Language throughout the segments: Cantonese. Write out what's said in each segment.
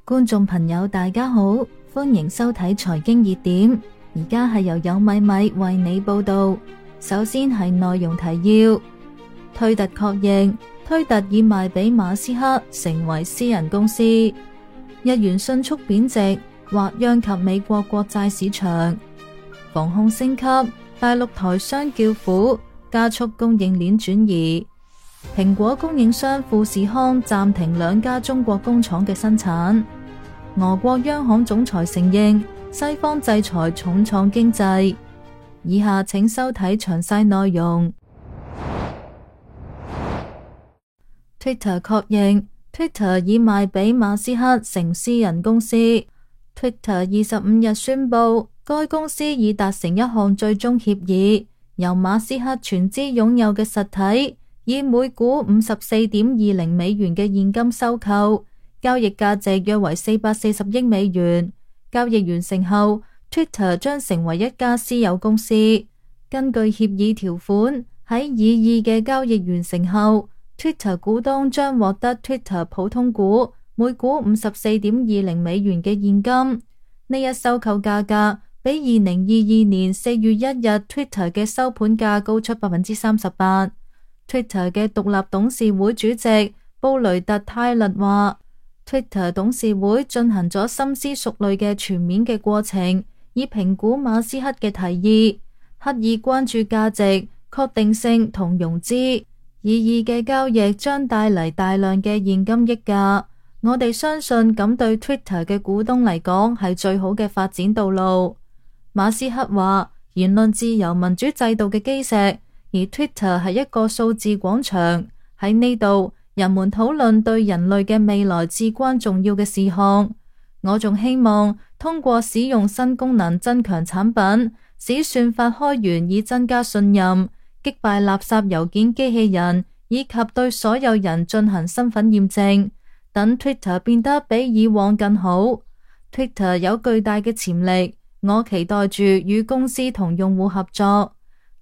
觀眾朋友大家好，歡迎收睇財經熱點。而家係由有米米為你報道。首先係內容提要：推特確認推特已賣俾馬斯克，成為私人公司。日元迅速貶值，或殃及美國國債市場。防控升級，大陸台商叫苦，加速供應鏈轉移。蘋果供應商富士康暫停2家中國工廠嘅生產。俄國央行總裁承認西方制裁重創經濟。以下請收睇詳細內容。Twitter 確認 Twitter 已賣俾馬斯克成私人公司。Twitter 25日宣布，該公司已達成一項最終協議，由馬斯克全資擁有嘅實體，以每股54.20美元嘅現金收購，交易價值約為440億美元。交易完成後， Twitter 將成為一家私有公司。根據協議條款，喺擬議嘅交易完成後， Twitter 股東將獲得 Twitter 普通股每股54.20美元嘅現金。呢一收購價格比2022年4月1日 Twitter 嘅收盤價高出 38%。Twitter 嘅獨立董事會主席布雷特泰勒話， Twitter 董事會進行咗深思熟慮嘅全面嘅過程，以評估馬斯克嘅提議，刻意關注價值、確定性同融資。擬議嘅交易將帶嚟大量嘅現金溢價，我哋相信咁對 Twitter 嘅股東嚟講係最好嘅發展道路。馬斯克話，言論自由民主制度嘅基石，而 Twitter 係一個數字廣場，喺呢度人們討論對人類嘅未來至關重要嘅事項。我仲希望通過使用新功能增強產品，使算法開源以增加信任，擊敗垃圾郵件機器人，以及對所有人進行身份驗證，等 Twitter 變得比以往更好。Twitter 有巨大嘅潛力，我期待住與公司同用戶合作。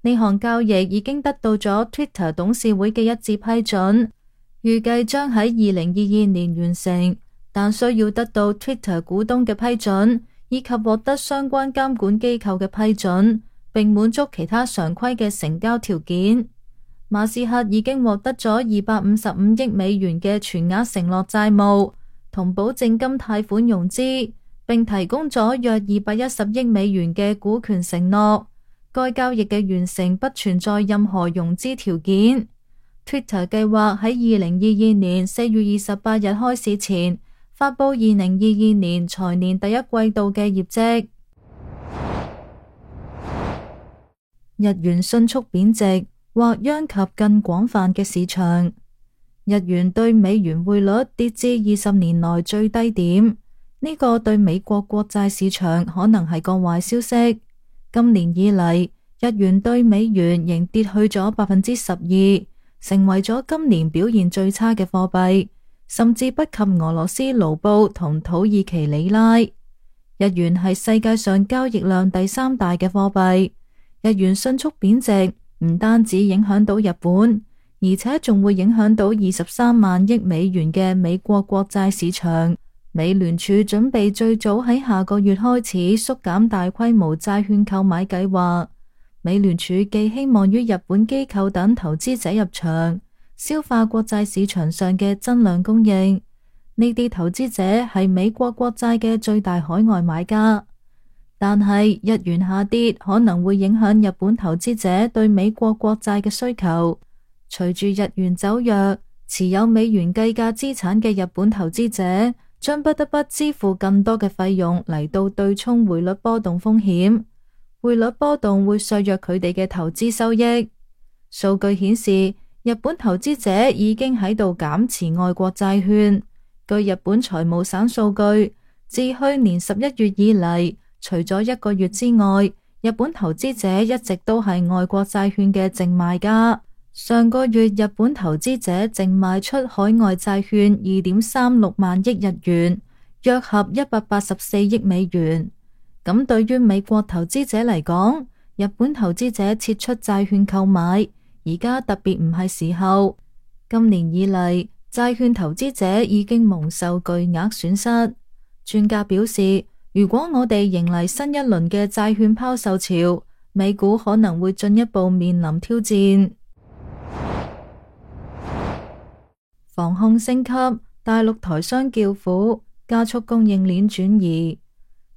呢項交易已經得到咗 Twitter 董事會嘅一致批准，預計將喺2022年完成，但需要得到 Twitter 股東嘅批准，以及獲得相關監管機構嘅批准，並滿足其他常規嘅成交條件。馬斯克已經獲得咗255億美元嘅全額承諾債務同保證金貸款融資，並提供咗約210億美元嘅股權承諾。該交易嘅完成不存在任何融資條件。Twitter 計劃喺2022年4月28日開市前發佈2022年財年第一季度嘅業績。日元迅速貶值，或殃及更廣泛嘅市場。日元對美元匯率跌至20年來最低點，呢個對美國國債市場可能係個壞消息。今年以嚟，日元對美元仍跌去咗12%，成為咗今年表現最差嘅貨幣，甚至不及俄羅斯盧布同土耳其里拉。日元係世界上交易量第3大嘅貨幣，日元迅速貶值，唔單止影響到日本，而且仲會影響到23萬億美元嘅美國國債市場。美聯儲準備最早喺下個月開始縮減大規模債券購買計劃。美聯儲寄希望於日本機構等投資者入場，消化國債市場上嘅增量供應。呢啲投資者係美國國債嘅最大海外買家。但係日元下跌可能會影響日本投資者對美國國債嘅需求。隨住日元走弱，持有美元計價資產嘅日本投資者將不得不支付更多嘅費用嚟到對沖匯率波動風險。匯率波動會削弱佢哋嘅投資收益。數據顯示，日本投資者已經喺度減持外國債券。據日本財務省數據，自去年11月以嚟，除咗1個月之外，日本投資者一直都係外國債券嘅淨賣家。上個月日本投資者淨賣出海外債券2.36萬億日元，約合184億美元。咁對於美國投資者嚟講，日本投資者撤出債券購買，而家特別唔係時候。今年以嚟，債券投資者已經蒙受巨額損失。專家表示，如果我哋迎嚟新一輪嘅債券拋售潮，美股可能會進一步面臨挑戰。防控升級，大陸台商叫苦，加速供應鏈轉移。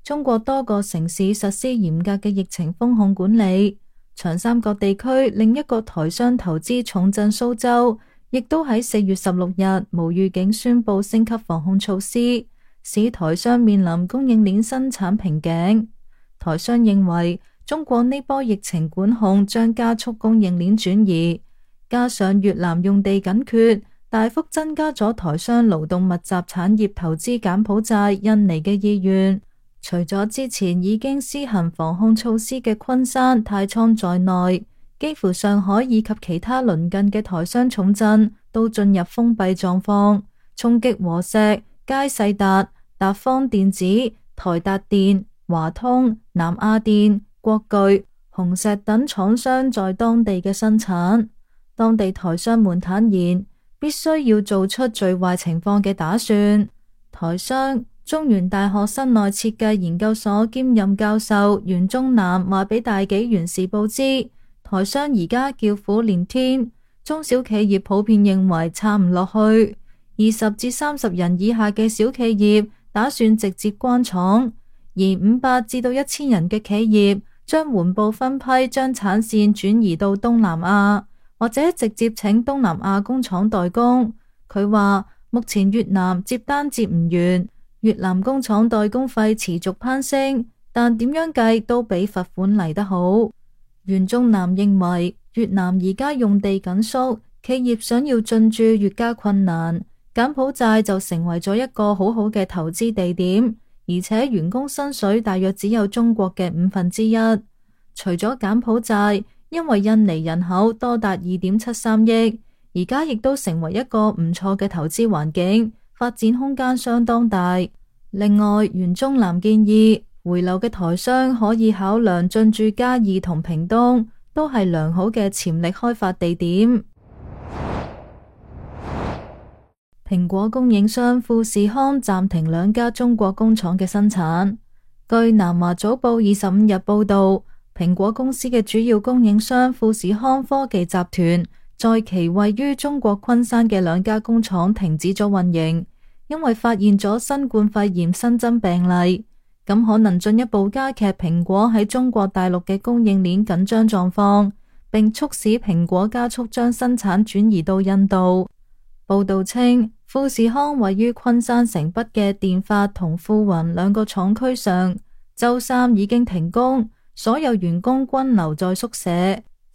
中國多個城市實施嚴格嘅疫情封控管理。長三角地區另一個台商投資重鎮蘇州，亦都喺4月16日無預警宣布升級防控措施，使台商面臨供應鏈生產瓶頸。台商認為中國呢波疫情管控將加速供應鏈轉移，加上越南用地緊缺，大幅增加咗台商勞動密集產業投資柬埔寨、印尼嘅意願。除咗之前已經施行防控措施嘅昆山、太倉在內，幾乎上海以及其他鄰近嘅台商重鎮都進入封閉狀況，衝擊和碩、佳世達、達方電子、台達電、華通、南亞電、國巨、紅石等廠商在當地嘅生產。當地台商們坦言，必須要做出最壞情況嘅打算。台商中原大學室內設計研究所兼任教授袁宗南話俾大紀元時報知，台商而家叫苦連天，中小企業普遍認為撐唔落去，20至30人以下嘅小企業打算直接關廠，而500至到1000人嘅企業將緩步分批將產線轉移到東南亞，或者直接請東南亞工廠代工。佢話目前越南接單接唔完，越南工廠代工費持續攀升，但點樣計都比罰款嚟得好。袁宗南認為越南而家用地緊縮，企業想要進駐越加困難，柬埔寨就成為咗一個好好嘅投資地點，而且員工薪水大約只有中國嘅1/5。除咗柬埔寨，因為印尼人口多達2.73億，而家亦都成為一個唔錯嘅投資環境，發展空間相當大。另外，袁宗南建議回流嘅台商可以考量進駐嘉義同屏東，都係良好嘅潛力開發地點。蘋果供應商富士康暫停2家中國工廠嘅生產。據南華早報25日報道，蘋果公司嘅主要供應商富士康科技集團在其位於中國昆山嘅2家工廠停止咗運營，因為發現咗新冠肺炎新增病例，咁可能進一步加劇蘋果喺中國大陸嘅供應鏈緊張狀況，並促使蘋果加速將生產轉移到印度。報道稱，富士康位於昆山城北嘅電發同富雲2個廠區上，周三已經停工，所有員工均留在宿舍。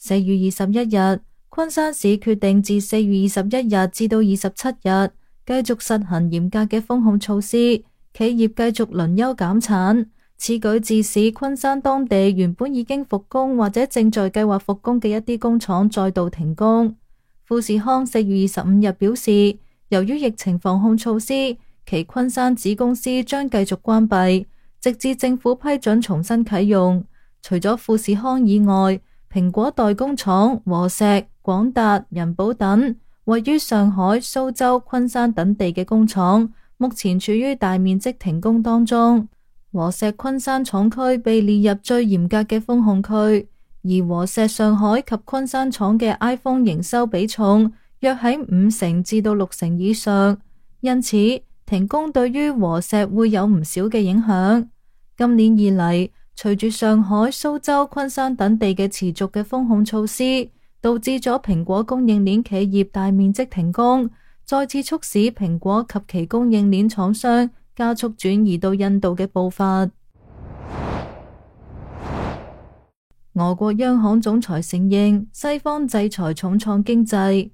4月21日，昆山市決定自4月21日至到27日繼續實行嚴格嘅封控措施，企業繼續輪休減產。此舉致使昆山當地原本已經復工或者正在計劃復工嘅一啲工廠再度停工。富士康4月25日表示，由於疫情防控措施，其昆山子公司將繼續關閉，直至政府批准重新啟用。除咗富士康以外，蘋果代工廠和碩、廣達、人保等位於上海、蘇州、昆山等地嘅工廠，目前處於大面積停工當中。和碩昆山廠區被列入最嚴格嘅封控區，而和碩上海及昆山廠嘅 iPhone 營收比重約喺50%至到60%以上，因此停工對於和碩會有唔少嘅影響。今年以嚟，隨住上海、蘇州、昆山等地嘅持續嘅封控措施，導致咗蘋果供應鏈企業大面積停工，再次促使蘋果及其供應鏈廠商加速轉移到印度嘅步伐。俄國央行總裁承認西方制裁重創經濟。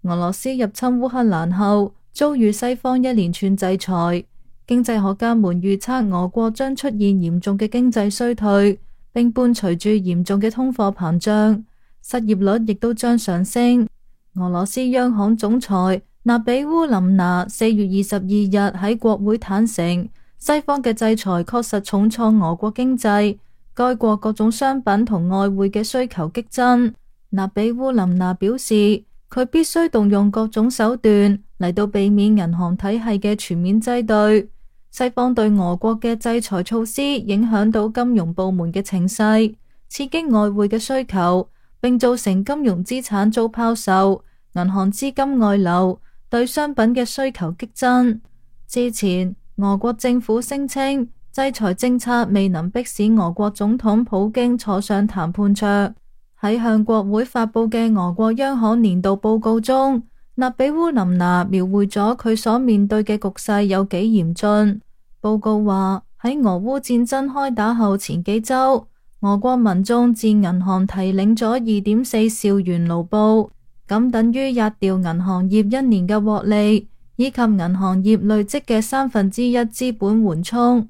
俄羅斯入侵烏克蘭後，遭遇西方一連串制裁。經濟學家們預測俄國將出現嚴重嘅經濟衰退，並伴隨住嚴重嘅通貨膨脹，失業率亦都將上升。俄羅斯央行總裁納比烏林娜4月22日喺國會坦承，西方嘅制裁確實重創俄國經濟，該國各種商品同外匯嘅需求激增。納比烏林娜表示，佢必須動用各種手段嚟到避免銀行體系嘅全面擠兌。西方對俄國嘅制裁措施影響到金融部門嘅情勢，刺激外匯嘅需求，並造成金融資產遭拋售，銀行資金外流，對商品嘅需求激增。之前，俄國政府聲稱制裁政策未能迫使俄國總統普京坐上談判桌。喺向國會發佈嘅俄國央行年度報告中，納比烏林娜描繪咗佢所面對嘅局勢有幾嚴峻。報告話，喺俄烏戰爭開打後前幾週，俄國民眾自銀行提領咗2.4兆元盧布，咁等於壓掉銀行業一年嘅獲利，以及銀行業累積嘅1/3資本緩衝。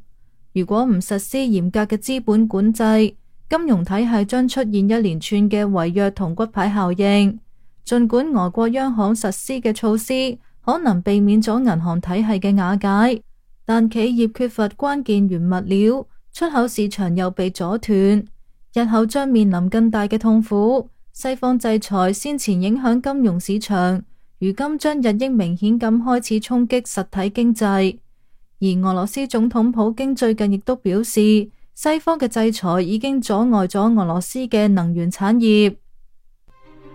如果唔實施嚴格嘅資本管制，金融體系將出現一連串嘅違約同骨牌效應。儘管俄國央行實施嘅措施可能避免咗銀行體系嘅瓦解，但企業缺乏關鍵原物料，出口市場又被阻斷，日後將面臨更大嘅痛苦。西方制裁先前影響金融市場，如今將日益明顯咁開始衝擊實體經濟。而俄羅斯總統普京最近亦都表示，西方嘅制裁已經阻礙咗俄羅斯嘅能源產業。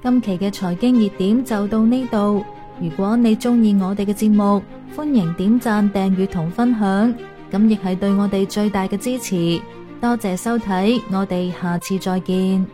今期嘅財經熱點就到呢度。如果你鍾意我哋嘅節目，歡迎點讚、訂閱同分享，咁亦係對我哋最大嘅支持。多謝收睇，我哋下次再見。